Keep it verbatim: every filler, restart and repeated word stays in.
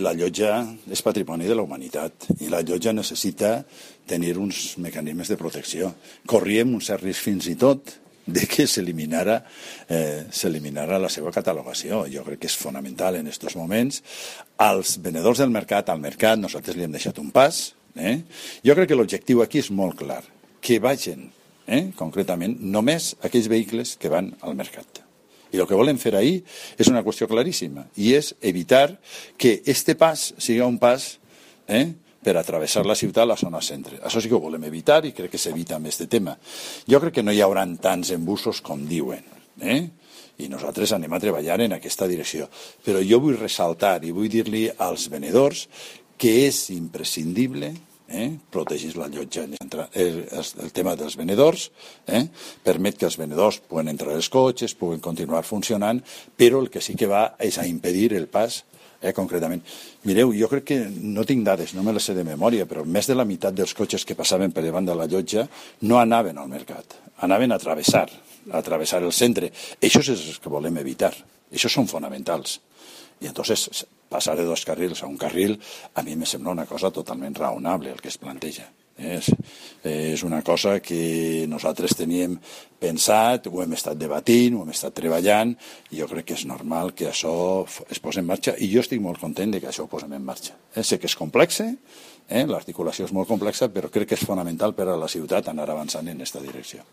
La llotja és patrimoni de la humanitat i la llotja necessita tenir uns mecanismes de protecció. Corríem un cert risc fins i tot de que s'eliminara eh, s'eliminara la seva catalogació. Jo crec que és fonamental en aquests moments. Als venedors del mercat, al mercat, nosaltres li hem deixat un pas. Eh? Jo crec que l'objectiu aquí és molt clar, que vagin, eh, concretament, només aquells vehicles que van al mercat. I el que volem fer ahir és una qüestió claríssima, i és evitar que este pas sigui un pas eh, per atravessar la ciutat a la zona centre. Això sí que ho volem evitar i crec que s'evita amb aquest tema. Jo crec que no hi haurà tants embussos com diuen, eh? I nosaltres anem a treballar en aquesta direcció. Però jo vull ressaltar i vull dir-li als venedors que és imprescindible Eh, protegir la llotja. El, el tema dels venedors eh, permet que els venedors puguen entrar als cotxes, puguen continuar funcionant, però el que sí que va és a impedir el pas eh, concretament. Mireu, jo crec que no tinc dades, no me les sé de memòria, però més de la meitat dels cotxes que passaven per davant de la llotja no anaven al mercat, anaven a travessar, a travessar el centre. Això és el que volem evitar, això són fonamentals. I entonces passar de dos carrils a un carril a mi me sembla una cosa totalment raonable el que es planteja. És, és una cosa que nosaltres teníem pensat, ho hem estat debatint, ho hem estat treballant, i jo crec que és normal que això es posi en marxa, i jo estic molt content de que això ho posem en marxa. Eh, sé que és complex, eh? L'articulació és molt complexa, però crec que és fonamental per a la ciutat anar avançant en aquesta direcció.